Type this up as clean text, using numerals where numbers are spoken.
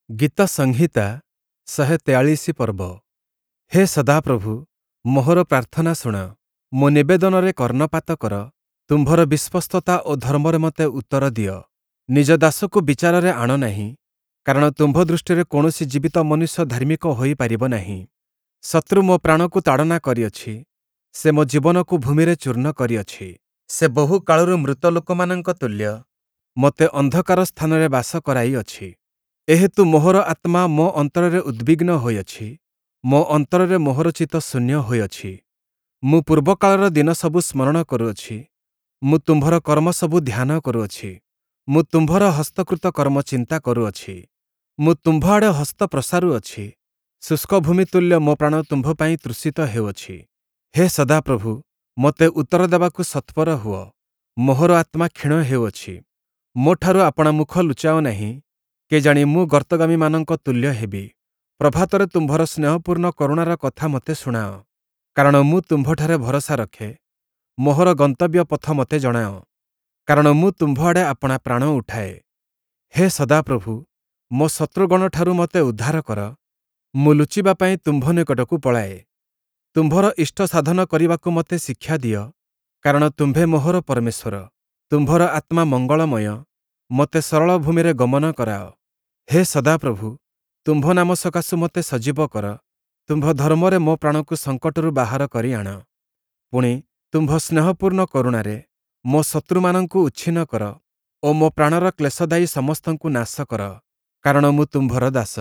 ଗୀତସଂହିତା 143 ପର୍ବ। ହେ ସଦାପ୍ରଭୁ, ମୋହର ପ୍ରାର୍ଥନା ଶୁଣ, ମୋ ନିବେଦନରେ କର୍ଣ୍ଣପାତ କର। ତୁମ୍ଭର ବିଶ୍ୱସ୍ତତା ଓ ଧର୍ମରେ ମୋତେ ଉତ୍ତର ଦିଅ। ନିଜ ଦାସକୁ ବିଚାରରେ ଆଣ ନାହିଁ, କାରଣ ତୁମ୍ଭ ଦୃଷ୍ଟିରେ କୌଣସି ଜୀବିତ ମନୁଷ୍ୟ ଧାର୍ମିକ ହୋଇପାରିବ ନାହିଁ। ଶତ୍ରୁ ମୋ ପ୍ରାଣକୁ ତାଡ଼ନା କରିଅଛି, ସେ ମୋ ଜୀବନକୁ ଭୂମିରେ ଚୂର୍ଣ୍ଣ କରିଅଛି। ସେ ବହୁ କାଳରୁ ମୃତ ଲୋକମାନଙ୍କ ତୁଲ୍ୟ ମୋତେ ଅନ୍ଧକାର ସ୍ଥାନରେ ବାସ କରାଇଅଛି। ଏହେତୁ ମୋହର ଆତ୍ମା ମୋ ଅନ୍ତରରେ ଉଦ୍ବିଗ୍ନ ହୋଇଅଛି, ମୋ ଅନ୍ତରରେ ମୋହର ଚିତ୍ତ ଶୂନ୍ୟ ହୋଇଅଛି। ମୁଁ ପୂର୍ବକାଳର ଦିନସବୁ ସ୍ମରଣ କରୁଅଛି, ମୁଁ ତୁମ୍ଭର କର୍ମସବୁ ଧ୍ୟାନ କରୁଅଛି। ମୁଁ ତୁମ୍ଭର ହସ୍ତକୃତ କର୍ମ ଚିନ୍ତା କରୁଅଛି। ମୁଁ ତୁମ୍ଭ ଆଡ଼େ ହସ୍ତ ପ୍ରସାରୁଅଛି, ଶୁଷ୍କ ଭୂମି ତୁଲ୍ୟ ମୋ ପ୍ରାଣ ତୁମ୍ଭ ପାଇଁ ତୃଷିତ ହେଉଅଛି। ହେ ସଦାପ୍ରଭୁ, ମୋତେ ଉତ୍ତର ଦେବାକୁ ସତ୍ୱର ହୁଅ, ମୋହର ଆତ୍ମା କ୍ଷୀଣ ହେଉଅଛି। ମୋଠାରୁ ଆପଣା ମୁଖ ଲୁଚାଅ ନାହିଁ, କେଜାଣି ମୁଁ ଗର୍ତ୍ତଗାମୀମାନଙ୍କ ତୁଲ୍ୟ ହେବି। ପ୍ରଭାତରେ ତୁମ୍ଭର ସ୍ନେହପୂର୍ଣ୍ଣ କରୁଣାର କଥା ମୋତେ ଶୁଣାଅ, କାରଣ ମୁଁ ତୁମ୍ଭଠାରେ ଭରସା ରଖେ। ମୋହର ଗନ୍ତବ୍ୟ ପଥ ମୋତେ ଜଣାଅ, କାରଣ ମୁଁ ତୁମ୍ଭ ଆଡ଼େ ଆପଣା ପ୍ରାଣ ଉଠାଏ। ହେ ସଦାପ୍ରଭୁ, ମୋ ଶତ୍ରୁଗଣଠାରୁ ମୋତେ ଉଦ୍ଧାର କର, ମୁଁ ଲୁଚିବା ପାଇଁ ତୁମ୍ଭ ନିକଟକୁ ପଳାଏ। ତୁମ୍ଭର ଇଷ୍ଟ ସାଧନ କରିବାକୁ ମୋତେ ଶିକ୍ଷା ଦିଅ, କାରଣ ତୁମ୍ଭେ ମୋହର ପରମେଶ୍ୱର। ତୁମ୍ଭର ଆତ୍ମା ମଙ୍ଗଳମୟ, ମୋତେ ସରଳ ଭୂମିରେ ଗମନ କରାଅ। ହେ ସଦାପ୍ରଭୁ, ତୁମ୍ଭ ନାମ ସକାଶୁ ମୋତେ ସଜୀବ କର, ତୁମ୍ଭ ଧର୍ମରେ ମୋ ପ୍ରାଣକୁ ସଙ୍କଟରୁ ବାହାର କରି ଆଣ। ପୁଣି ତୁମ୍ଭ ସ୍ନେହପୂର୍ଣ୍ଣ କରୁଣାରେ ମୋ ଶତ୍ରୁମାନଙ୍କୁ ଉଚ୍ଛିନ୍ନ କର ଓ ମୋ ପ୍ରାଣର କ୍ଲେଶଦାୟୀ ସମସ୍ତଙ୍କୁ ନାଶ କର, କାରଣ ମୁଁ ତୁମ୍ଭର ଦାସ।